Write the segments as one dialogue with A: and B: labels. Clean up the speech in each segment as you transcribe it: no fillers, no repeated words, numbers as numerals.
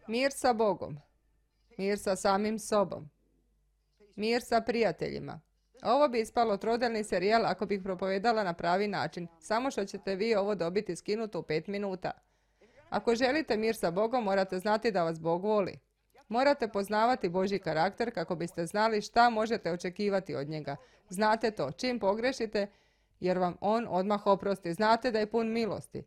A: Mir sa Bogom. Mir sa samim sobom. Mir sa prijateljima. Ovo bi ispalo trodelni serijal ako bih propovedala na pravi način, samo što ćete vi ovo dobiti skinuto u 5 minuta. Ako želite mir sa Bogom, morate znati da vas Bog voli. Morate poznavati Božji karakter kako biste znali šta možete očekivati od njega. Znate to, čim pogrešite, jer vam on odmah oprosti. Znate da je pun milosti.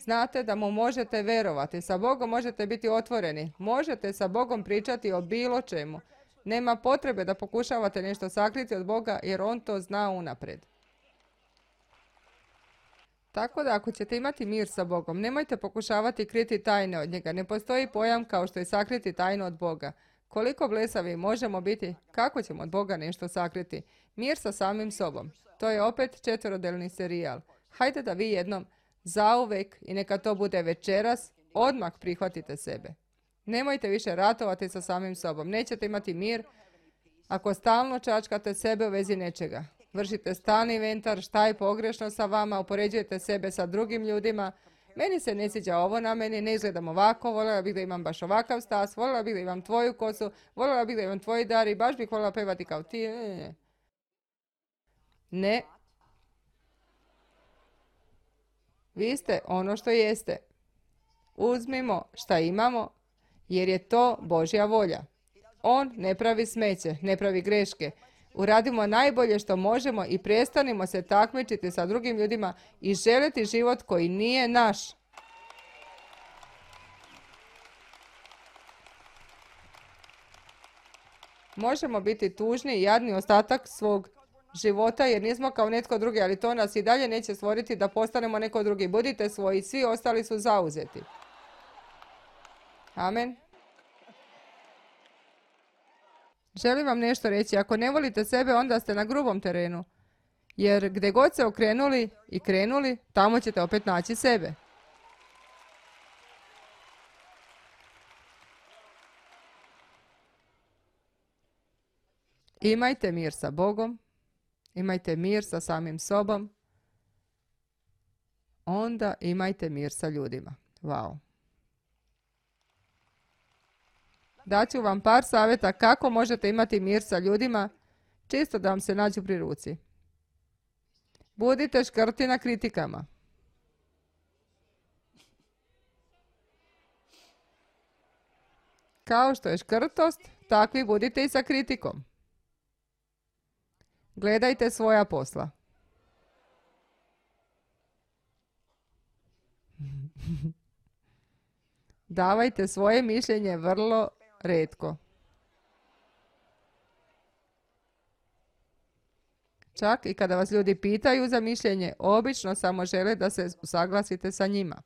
A: Znate da mu možete verovati. Sa Bogom možete biti otvoreni. Možete sa Bogom pričati o bilo čemu. Nema potrebe da pokušavate nešto sakriti od Boga, jer on to zna unaprijed. Tako da ako ćete imati mir sa Bogom, nemojte pokušavati kriti tajne od njega. Ne postoji pojam kao što je sakriti tajnu od Boga. Koliko blesavi možemo biti, kako ćemo od Boga nešto sakriti? Mir sa samim sobom. To je opet četverodelni serijal. Hajde da vi jednom, zauvek, i neka to bude večeras, odmah prihvatite sebe. Nemojte više ratovati sa samim sobom. Nećete imati mir ako stalno čačkate sebe u vezi nečega. Vršite stalni inventar, šta je pogrešno sa vama, upoređujete sebe sa drugim ljudima. Meni se ne sviđa ovo na meni, ne izgledam ovako, voljela bih da imam baš ovakav stas, voljela bih da imam tvoju kosu, voljela bih da imam tvoji dar i baš bih voljela pevati kao ti. Ne. Vi ste ono što jeste. Uzmimo šta imamo, jer je to Božja volja. On ne pravi smeće, ne pravi greške. Uradimo najbolje što možemo i prestanimo se takmičiti sa drugim ljudima i želiti život koji nije naš. Možemo biti tužni i jadni ostatak svog života jer nismo kao netko drugi, ali to nas i dalje neće stvoriti da postanemo neko drugi. Budite svoji, svi ostali su zauzeti. Amen. Želim vam nešto reći. Ako ne volite sebe, onda ste na grubom terenu. Jer gdje god se okrenuli i krenuli, tamo ćete opet naći sebe. Imajte mir sa Bogom. Imajte mir sa samim sobom. Onda imajte mir sa ljudima. Wow. Daću vam par savjeta kako možete imati mir sa ljudima, čisto da vam se nađu pri ruci. Budite škrti na kritikama. Kao što je škrtost, takvi budite i sa kritikom. Gledajte svoja posla. Davajte svoje mišljenje vrlo retko. Čak i kada vas ljudi pitaju za mišljenje, obično samo žele da se usaglasite sa njima.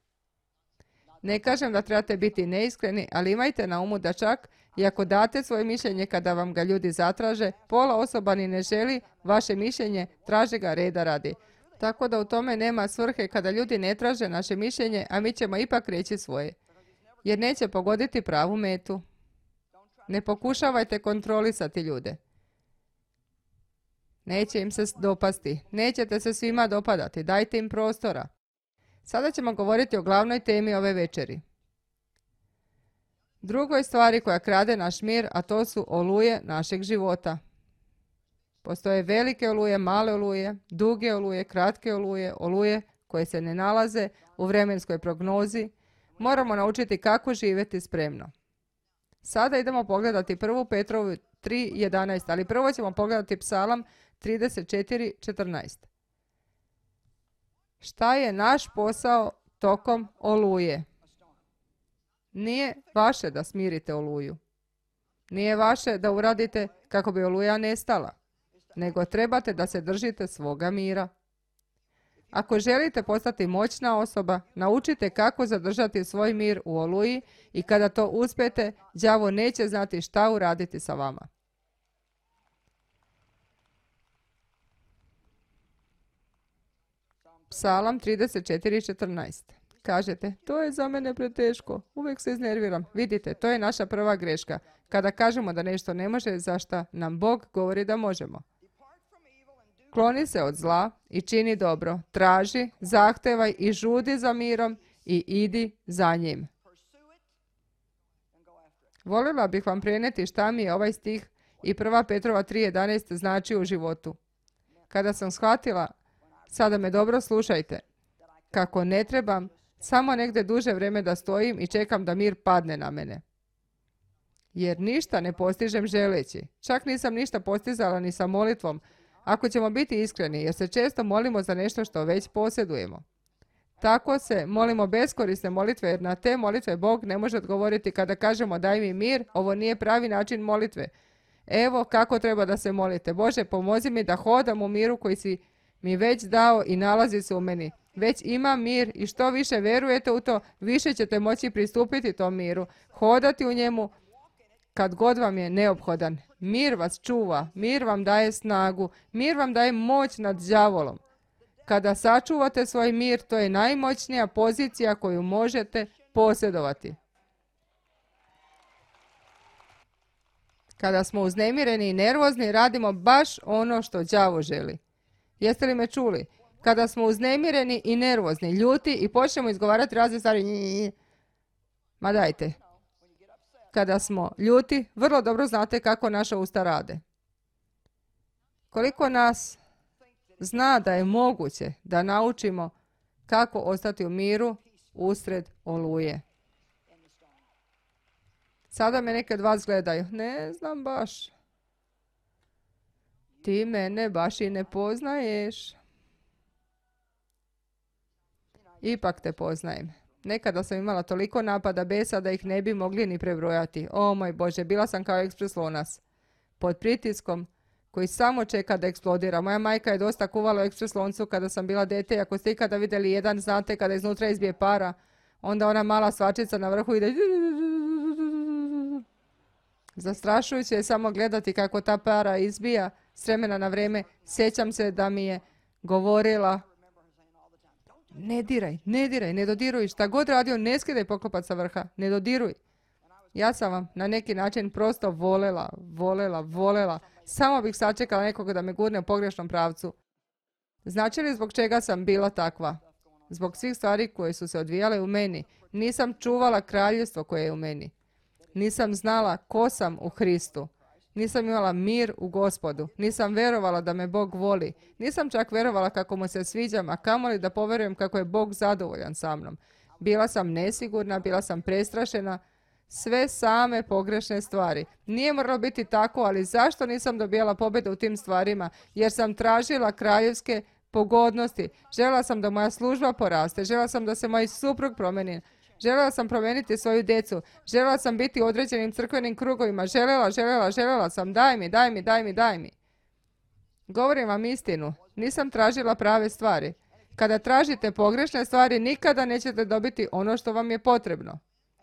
A: Ne kažem da trebate biti neiskreni, ali imajte na umu da čak i ako date svoje mišljenje kada vam ga ljudi zatraže, pola osoba ni ne želi vaše mišljenje, traže ga reda radi. Tako da u tome nema svrhe kada ljudi ne traže naše mišljenje, a mi ćemo ipak reći svoje. Jer neće pogoditi pravu metu. Ne pokušavajte kontrolisati ljude. Neće im se dopasti. Nećete se svima dopadati. Dajte im prostora. Sada ćemo govoriti o glavnoj temi ove večeri. Drugoj stvari koja krade naš mir, a to su oluje našeg života. Postoje velike oluje, male oluje, duge oluje, kratke oluje, oluje koje se ne nalaze u vremenskoj prognozi. Moramo naučiti kako živjeti spremno. Sada idemo pogledati 1. Petrovu 3.11, ali prvo ćemo pogledati Psalam 34.14. Šta je naš posao tokom oluje? Nije vaše da smirite oluju. Nije vaše da uradite kako bi oluja nestala, nego trebate da se držite svoga mira. Ako želite postati moćna osoba, naučite kako zadržati svoj mir u oluji i kada to uspijete, đavo neće znati šta uraditi sa vama. Psalam 34.14. Kažete, to je za mene preteško, uvijek se iznerviram. Vidite, to je naša prva greška. Kada kažemo da nešto ne može, za šta nam Bog govori da možemo. Kloni se od zla i čini dobro. Traži, zahtevaj i žudi za mirom i idi za njim. Voljela bih vam prenijeti šta mi je ovaj stih i 1. Petrova 3.11 znači u životu. Kada sam shvatila, sada me dobro slušajte, kako ne trebam samo negdje duže vrijeme da stojim i čekam da mir padne na mene. Jer ništa ne postižem želeći. Čak nisam ništa postizala ni sa molitvom, ako ćemo biti iskreni, jer se često molimo za nešto što već posjedujemo. Tako se molimo beskorisne molitve, jer na te molitve Bog ne može odgovoriti kada kažemo daj mi mir, ovo nije pravi način molitve. Evo kako treba da se molite. Bože, pomozi mi da hodam u miru koji si mi već dao i nalazi se u meni. Već imam mir i što više verujete u to, više ćete moći pristupiti tom miru, hodati u njemu kad god vam je neophodan. Mir vas čuva, mir vam daje snagu, mir vam daje moć nad đavolom. Kada sačuvate svoj mir, to je najmoćnija pozicija koju možete posjedovati. Kada smo uznemireni i nervozni, radimo baš ono što đavo želi. Jeste li me čuli? Kada smo uznemireni i nervozni, ljuti i počnemo izgovarati razne stvari, ma dajte. Kada smo ljuti, vrlo dobro znate kako naša usta rade. Koliko nas zna da je moguće da naučimo kako ostati u miru usred oluje. Sada me neke od vas gledaju. Ne znam baš. Ti mene baš i ne poznaješ. Ipak te poznajem. Nekada sam imala toliko napada besa da ih ne bi mogli ni prebrojati. O moj Bože, bila sam kao ekspres lonac. Pod pritiskom koji samo čeka da eksplodira. Moja majka je dosta kuvala u ekspres loncu kada sam bila dete i ako ste ikada vidjeli jedan, znate kada iznutra izbije para, onda ona mala svačica na vrhu ide. Zastrašujuće je samo gledati kako ta para izbija s vremena na vrijeme. Sjećam se da mi je govorila ne diraj, ne dodiruj, šta god radio, ne skidaj poklopac sa vrha, ne dodiruj. Ja sam vam na neki način prosto volela. Samo bih sačekala nekoga da me gurne u pogrešnom pravcu. Znači li zbog čega sam bila takva? Zbog svih stvari koje su se odvijale u meni. Nisam čuvala kraljevstvo koje je u meni. Nisam znala ko sam u Hristu. Nisam imala mir u Gospodu. Nisam verovala da me Bog voli. Nisam čak verovala kako mu se sviđam, a kamoli da poverujem kako je Bog zadovoljan sa mnom. Bila sam nesigurna, bila sam prestrašena. Sve same pogrešne stvari. Nije moralo biti tako, ali zašto nisam dobijala pobjedu u tim stvarima? Jer sam tražila kraljevske pogodnosti. Željela sam da moja služba poraste. Željela sam da se moj suprug promeni. Željela sam promijeniti svoju djecu. Željela sam biti u određenim crkvenim krugovima. Željela sam. Daj mi. Govorim vam istinu. Nisam tražila prave stvari. Kada tražite pogrešne stvari, nikada nećete dobiti ono što vam je potrebno.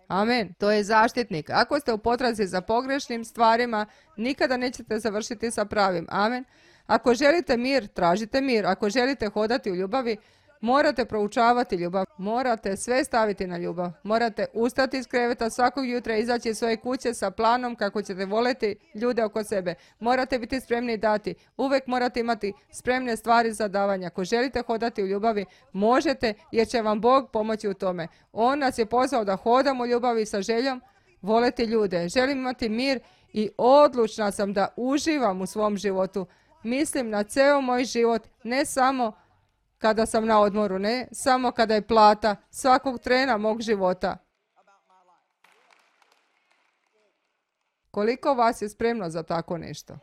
A: Amen. To je zaštitnik. Ako ste u potrazi za pogrešnim stvarima, nikada nećete završiti sa pravim. Amen. Ako želite mir, tražite mir. Ako želite hodati u ljubavi, morate proučavati ljubav. Morate sve staviti na ljubav. Morate ustati iz kreveta svakog jutra, izaći iz svoje kuće sa planom kako ćete voleti ljude oko sebe. Morate biti spremni dati. Uvijek morate imati spremne stvari za davanje. Ako želite hodati u ljubavi, možete jer će vam Bog pomoći u tome. On nas je pozvao da hodamo u ljubavi sa željom voleti ljude. Želim imati mir i odlučna sam da uživam u svom životu. Mislim na ceo moj život, ne samo kada sam na odmoru, ne samo kada je plata, svakog trena mog života. Koliko vas je spremno za tako nešto?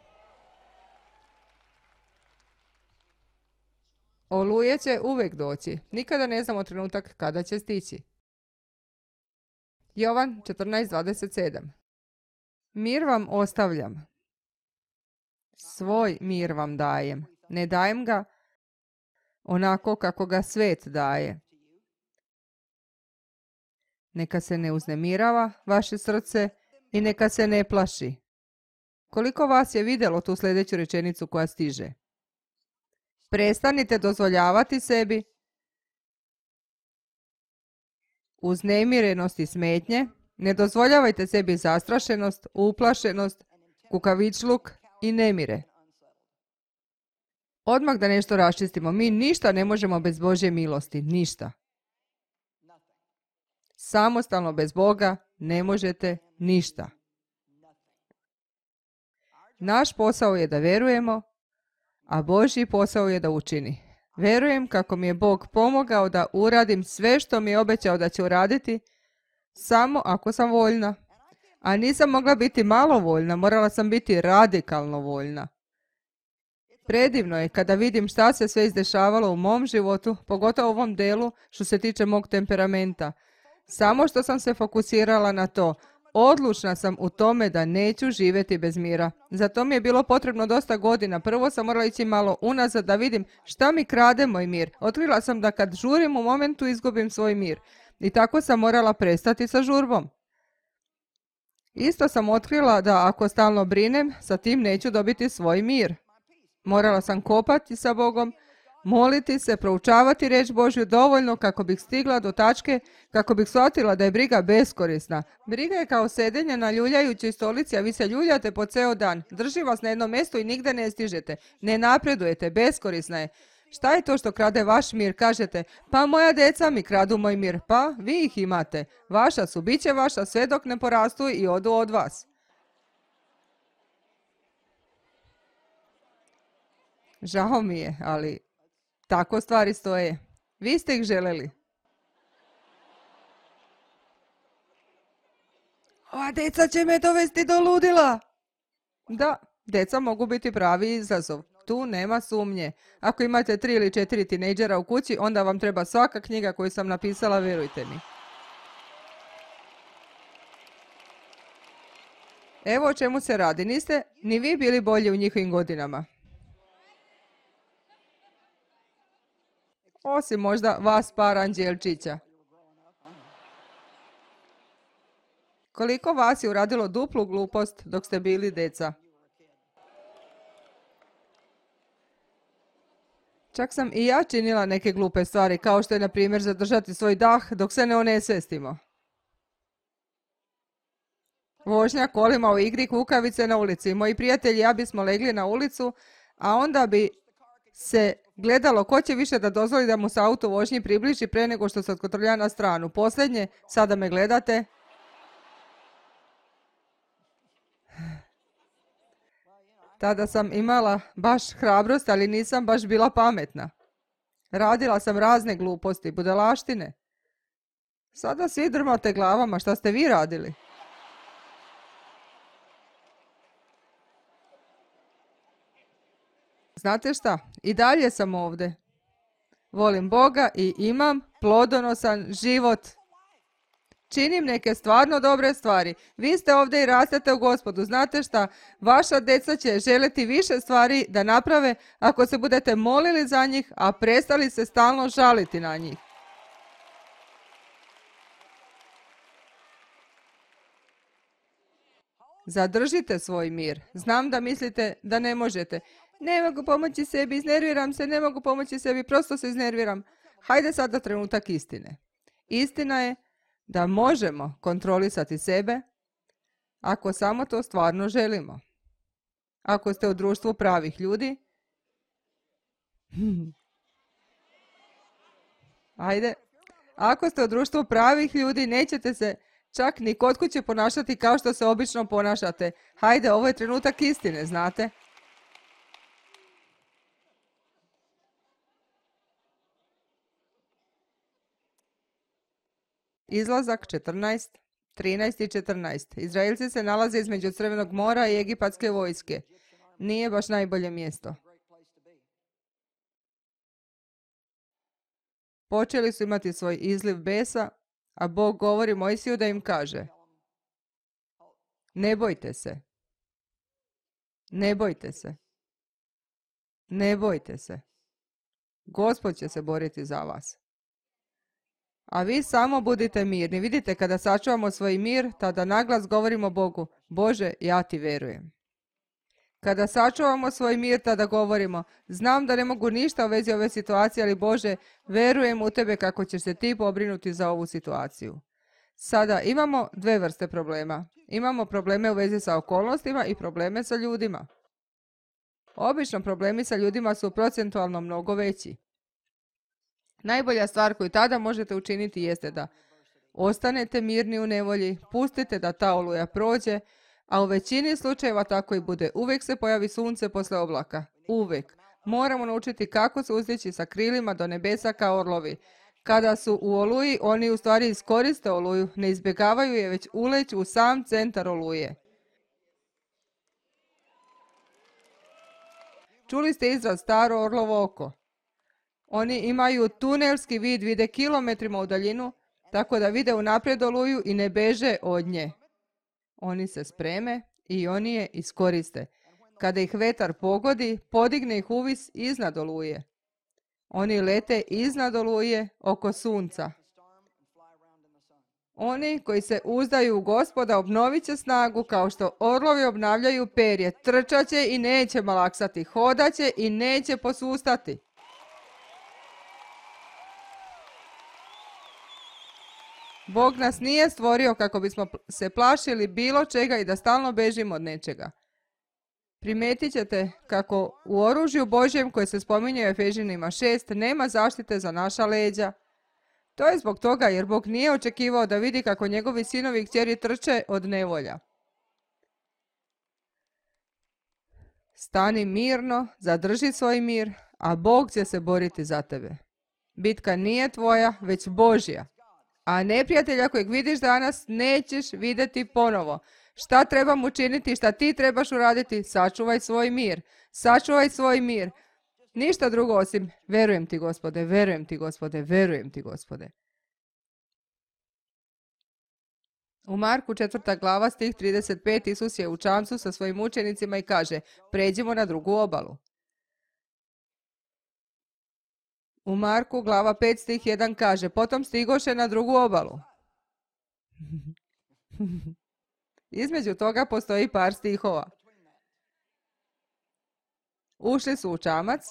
A: Oluje će uvijek doći. Nikada ne znamo trenutak kada će stići. Jovan 14.27. Mir vam ostavljam. Svoj mir vam dajem. Ne dajem ga onako kako ga svet daje. Neka se ne uznemirava vaše srce i neka se ne plaši. Koliko vas je vidjelo tu sljedeću rečenicu koja stiže? Prestanite dozvoljavati sebi uznemirenost i smetnje. Ne dozvoljavajte sebi zastrašenost, uplašenost, kukavičluk i nemire. Odmah da nešto raščistimo. Mi ništa ne možemo bez Božje milosti. Ništa. Samostalno bez Boga ne možete ništa. Naš posao je da vjerujemo, a Božji posao je da učini. Vjerujem kako mi je Bog pomogao da uradim sve što mi je obećao da će uraditi, samo ako sam voljna. A nisam mogla biti malo voljna, morala sam biti radikalno voljna. Predivno je kada vidim šta se sve izdešavalo u mom životu, pogotovo u ovom delu što se tiče mog temperamenta. Samo što sam se fokusirala na to, odlučna sam u tome da neću živjeti bez mira. Zato mi je bilo potrebno dosta godina. Prvo sam morala ići malo unazad da vidim šta mi krade moj mir. Otkrila sam da kad žurim u momentu izgubim svoj mir. I tako sam morala prestati sa žurbom. Isto sam otkrila da ako stalno brinem, sa tim neću dobiti svoj mir. Morala sam kopati sa Bogom, moliti se, proučavati riječ Božju dovoljno kako bih stigla do tačke, kako bih shvatila da je briga beskorisna. Briga je kao sedenje na ljuljajućoj stolici, a vi se ljuljate po ceo dan. Drži vas na jednom mjestu i nigde ne stižete. Ne napredujete, beskorisna je. Šta je to što krade vaš mir? Kažete, pa moja deca mi kradu moj mir. Pa, vi ih imate. Vaša su, bit će vaša sve dok ne porastu i odu od vas. Žao mi je, ali tako stvari stoje. Vi ste ih želeli. Ova deca će me dovesti do ludila. Da, deca mogu biti pravi izazov. Tu nema sumnje. Ako imate 3 ili 4 tinejdžera u kući, onda vam treba svaka knjiga koju sam napisala, vjerujte mi. Evo o čemu se radi. Niste ni vi bili bolji u njihovim godinama. Osim možda vas par anđelčića. Koliko vas je uradilo duplu glupost dok ste bili deca? Čak sam i ja činila neke glupe stvari, kao što je, na primjer, zadržati svoj dah dok se ne onesvestimo. Vožnja kolima u igri kukavice na ulici. Moji prijatelji i ja bismo legli na ulicu, a onda bi se gledalo ko će više da dozvoli da mu se auto vožnji približi pre nego što se otkotrlja na stranu. Posljednje, sada me gledate. Tada sam imala baš hrabrost, ali nisam baš bila pametna. Radila sam razne gluposti, budalaštine. Sada svi drmate glavama, šta ste vi radili? Znate šta? I dalje sam ovdje. Volim Boga i imam plodonosan život. Činim neke stvarno dobre stvari. Vi ste ovdje i rastete u Gospodu. Znate šta? Vaša deca će želiti više stvari da naprave ako se budete molili za njih, a prestali se stalno žaliti na njih. Zadržite svoj mir. Znam da mislite da ne možete. Ne mogu pomoći sebi, iznerviram se, ne mogu pomoći sebi, prosto se iznerviram. Hajde sada trenutak istine. Istina je da možemo kontrolisati sebe ako samo to stvarno želimo. Ako ste u društvu pravih ljudi, ajde, ako ste u društvu pravih ljudi, nećete se čak ni kod kuće ponašati kao što se obično ponašate. Hajde, ovo je trenutak istine, znate? Izlazak 14, 13 i 14. Izraelci se nalaze između Crvenog mora i egipatske vojske. Nije baš najbolje mjesto. Počeli su imati svoj izliv besa, a Bog govori Mojsiju da im kaže: ne bojte se. Ne bojte se. Ne bojte se. Gospod će se boriti za vas. A vi samo budite mirni. Vidite, kada sačuvamo svoj mir, tada naglas govorimo Bogu: Bože, ja ti verujem. Kada sačuvamo svoj mir, tada govorimo: znam da ne mogu ništa u vezi ove situacije, ali Bože, verujem u tebe kako ćeš se ti pobrinuti za ovu situaciju. Sada imamo dve vrste problema. Imamo probleme u vezi sa okolnostima i probleme sa ljudima. Obično problemi sa ljudima su procentualno mnogo veći. Najbolja stvar koju tada možete učiniti jeste da ostanete mirni u nevolji, pustite da ta oluja prođe, A u većini slučajeva tako i bude. Uvijek se pojavi sunce posle oblaka. Uvijek. Moramo naučiti kako se uzdići sa krilima do nebesa kao orlovi. Kada su u oluji, oni u stvari iskoriste oluju, ne izbjegavaju je, već uleću u sam centar oluje. Čuli ste izraz staro orlovo oko. Oni imaju tunelski vid, vide kilometrima u daljinu, tako da vide unaprijed oluju i ne beže od nje. Oni se spreme i oni je iskoriste. Kada ih vetar pogodi, podigne ih uvis iznad oluje. Oni lete iznad oluje oko sunca. Oni koji se uzdaju u Gospoda obnovit će snagu kao što orlovi obnavljaju perje. Trčat će i neće malaksati, hodaće i neće posustati. Bog nas nije stvorio kako bismo se plašili bilo čega i da stalno bežimo od nečega. Primetit ćete kako u oružju Božjem koje se spominje u Efežanima 6 nema zaštite za naša leđa. To je zbog toga jer Bog nije očekivao da vidi kako njegovi sinovi i kćeri trče od nevolja. Stani mirno, zadrži svoj mir, a Bog će se boriti za tebe. Bitka nije tvoja, već Božja. A neprijatelja kojeg vidiš danas nećeš vidjeti ponovo. Šta trebam učiniti, šta ti trebaš uraditi? Sačuvaj svoj mir. Sačuvaj svoj mir. Ništa drugo osim verujem ti, Gospode, verujem ti, Gospode, verujem ti, Gospode. U Marku 4. glava stih 35 Isus je u čamcu sa svojim učenicima i kaže: pređimo na drugu obalu. U Marku glava 5 stih 1 kaže: potom stigoše na drugu obalu. Između toga postoji par stihova. Ušli su u čamac,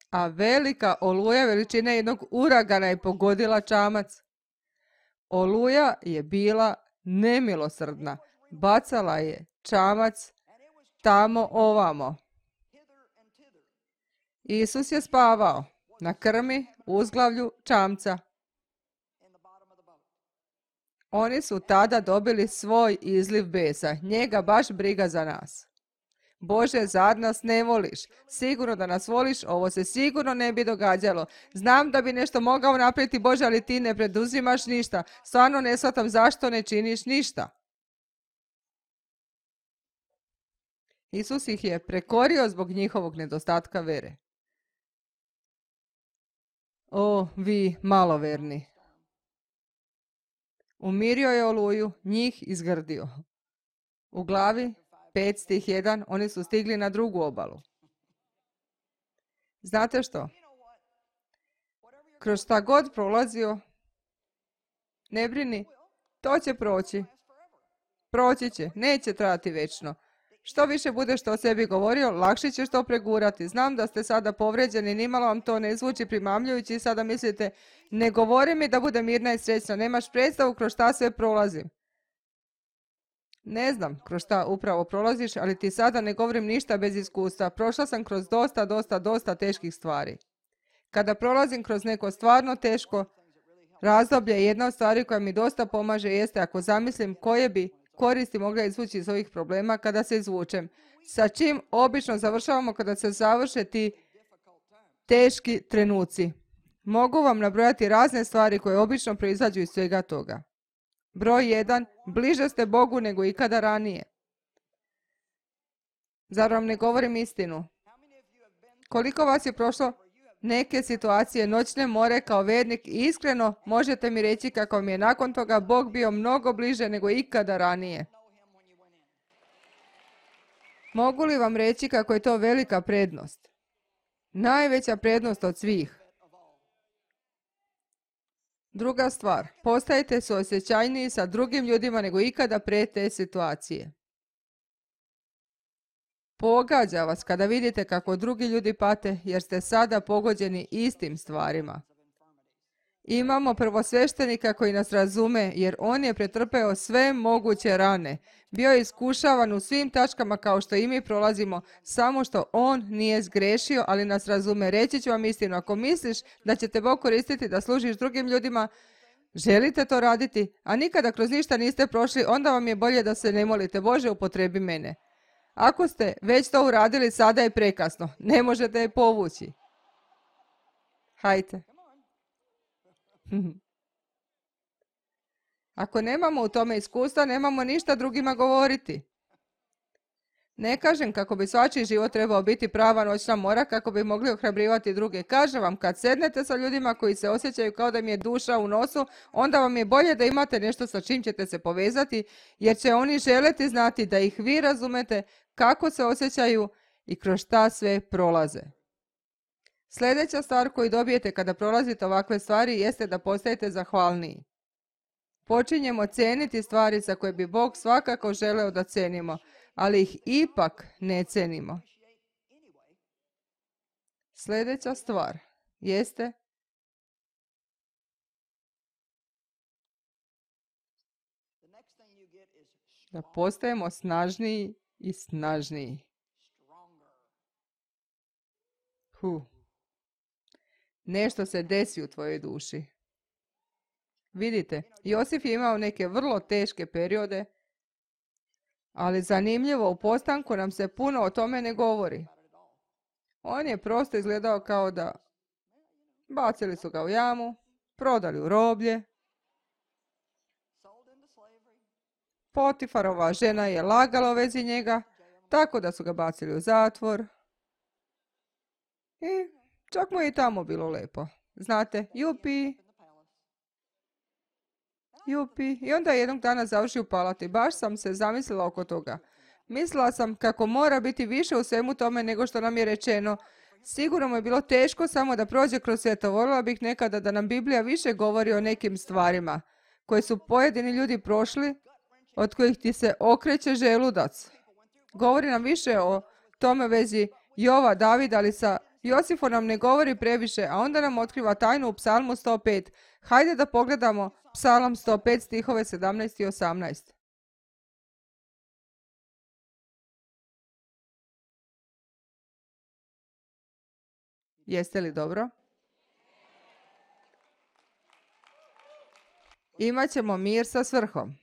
A: a velika oluja veličine jednog uragana je pogodila čamac. Oluja je bila nemilosrdna. Bacala je čamac tamo ovamo. Isus je spavao na krmi uzglavlju čamca. Oni su tada dobili svoj izliv besa. Njega baš briga za nas. Bože, zar nas ne voliš? Sigurno da nas voliš, ovo se sigurno ne bi događalo. Znam da bi nešto mogao napraviti, Bože, ali ti ne preduzimaš ništa. Stvarno ne shvatam zašto ne činiš ništa. Isus ih je prekorio zbog njihovog nedostatka vere. O, vi maloverni! Umirio je oluju, njih izgrdio. U glavi 5 stih 1 oni su stigli na drugu obalu. Znate što? Kroz šta god prolazio, ne brini, to će proći. Proći će, neće trajati večno. Što više budeš to o sebi govorio, lakše ćeš to pregurati. Znam da ste sada povređeni, nimalo vam to ne zvuči primamljujući i sada mislite, ne govori mi da budem mirna i srećna, nemaš predstavu kroz šta sve prolazim. Ne znam kroz šta upravo prolaziš, ali ti sada ne govorim ništa bez iskustva. Prošla sam kroz dosta teških stvari. Kada prolazim kroz neko stvarno teško razdoblje, jedna od stvari koja mi dosta pomaže jeste ako zamislim koje bi koristi mogla izvući iz ovih problema kada se izvučem. Sa čim obično završavamo kada se završe ti teški trenuci. Mogu vam nabrojati razne stvari koje obično proizađu iz svega toga. Broj 1. Bliže ste Bogu nego ikada ranije. Zar vam ne govorim istinu? Koliko vas je prošlo neke situacije noćne more kao vernik i iskreno možete mi reći kako vam je nakon toga Bog bio mnogo bliže nego ikada ranije? Mogu li vam reći kako je to velika prednost? Najveća prednost od svih. Druga stvar, postajete suosjećajniji sa drugim ljudima nego ikada pre te situacije. Pogađa vas kada vidite kako drugi ljudi pate jer ste sada pogođeni istim stvarima. Imamo prvosveštenika koji nas razume jer on je pretrpeo sve moguće rane. Bio je iskušavan u svim tačkama kao što i mi prolazimo, samo što on nije zgrešio, ali nas razume. Reći ću vam istinu, ako misliš da će te Bog koristiti da služiš drugim ljudima, Želite to raditi, a nikada kroz ništa niste prošli, onda vam je bolje da se ne molite. Bože, upotrebi mene. Ako ste već to uradili, sada je prekasno. Ne možete je povući. Hajte. Ako nemamo u tome iskustva, nemamo ništa drugima govoriti. Ne kažem kako bi svačiji život trebao biti prava noćna mora, kako bi mogli ohrabrivati druge. Kažem vam, kad sednete sa ljudima koji se osjećaju kao da im je duša u nosu, onda vam je bolje da imate nešto sa čim ćete se povezati, jer će oni želeti znati da ih vi razumete kako se osjećaju i kroz šta sve prolaze. Sljedeća stvar koju dobijete kada prolazite ovakve stvari jeste da postajete zahvalniji. Počinjemo cijeniti stvari za koje bi Bog svakako želeo da cenimo, ali ih ipak ne cenimo. Sljedeća stvar jeste da postajemo snažniji i snažniji. Nešto se desi u tvojoj duši. Vidite, Josif je imao neke vrlo teške periode, ali zanimljivo, u postanku nam se puno o tome ne govori. On je prosto izgledao kao da bacili su ga u jamu, prodali u roblje. Potifarova žena je lagala u vezi njega, tako da su ga bacili u zatvor. I čak mu je i tamo bilo lepo. Znate, jupi. I onda je jednog dana završio u palati. Baš sam se zamislila oko toga. Mislila sam kako mora biti više u svemu tome nego što nam je rečeno. Sigurno mu je bilo teško samo da prođe kroz sve to. Voljela bih nekada da nam Biblija više govori o nekim stvarima koje su pojedini ljudi prošli, od kojih ti se okreće želudac. Govori nam više o tome vezi Jova, Davida, ali sa Josifom nam ne govori previše, a onda nam otkriva tajnu u Psalmu 105. Hajde da pogledamo Psalam 105, stihove 17 i 18. Jeste li dobro? Imaćemo mir sa svrhom.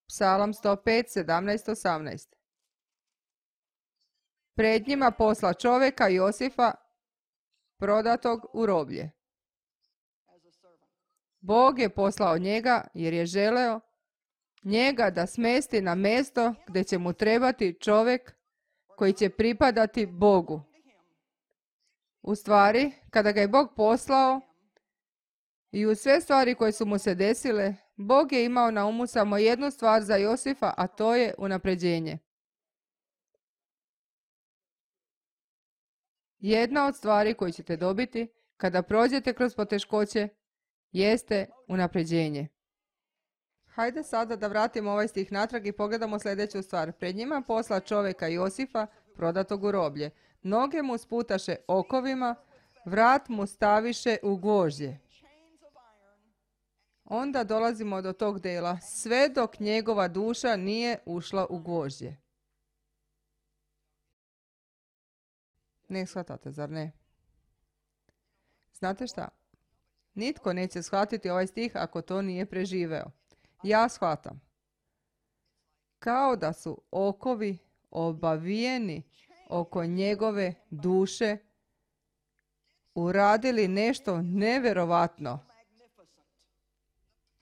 A: Psalam 105, 17, 18. Pred njima posla čovjeka Josifa, prodatog u roblje. Bog je poslao njega jer je želeo njega da smesti na mjesto gdje će mu trebati čovjek koji će pripadati Bogu. U stvari, kada ga je Bog poslao i u sve stvari koje su mu se desile, Bog je imao na umu samo jednu stvar za Josifa, a to je unapređenje. Jedna od stvari koju ćete dobiti kada prođete kroz poteškoće jeste unapređenje. Hajde sada da vratimo ovaj stih natrag i pogledamo sljedeću stvar. Pred njima posla čovjeka Josifa, prodatog u roblje. Noge mu sputaše okovima, vrat mu staviše u gvožđe. Onda dolazimo do tog dela, sve dok njegova duša nije ušla u gvožđe. Ne shvatate, zar ne? Znate šta? Nitko neće shvatiti ovaj stih ako to nije preživeo. Ja shvatam. Kao da su okovi obavijeni oko njegove duše uradili nešto neverovatno.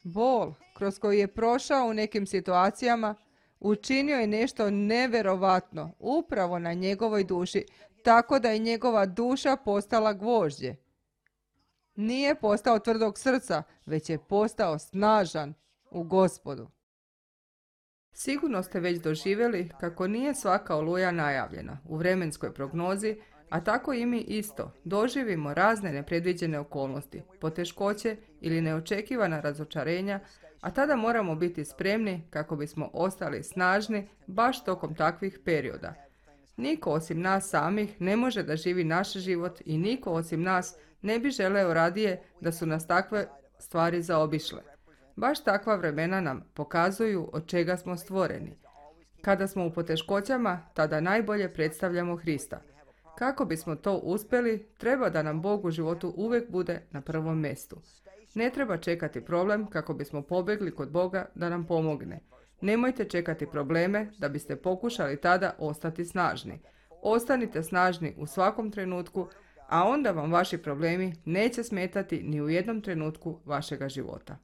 A: Bol kroz koji je prošao u nekim situacijama učinio je nešto neverovatno upravo na njegovoj duši, tako da je njegova duša postala gvožđe. Nije postao tvrdog srca, već je postao snažan u Gospodu. Sigurno ste već doživjeli kako nije svaka oluja najavljena u vremenskoj prognozi, a tako i mi isto doživimo razne nepredviđene okolnosti, poteškoće ili neočekivana razočarenja, a tada moramo biti spremni kako bismo ostali snažni baš tokom takvih perioda. Niko osim nas samih ne može da živi naš život i niko osim nas ne bi želeo radije da su nas takve stvari zaobišle. Baš takva vremena nam pokazuju od čega smo stvoreni. Kada smo u poteškoćama, tada najbolje predstavljamo Hrista. Kako bismo to uspjeli, treba da nam Bog u životu uvijek bude na prvom mjestu. Ne treba čekati problem kako bismo pobjegli kod Boga da nam pomogne. Nemojte čekati probleme da biste pokušali tada ostati snažni. Ostanite snažni u svakom trenutku, a onda vam vaši problemi neće smetati ni u jednom trenutku vašega života.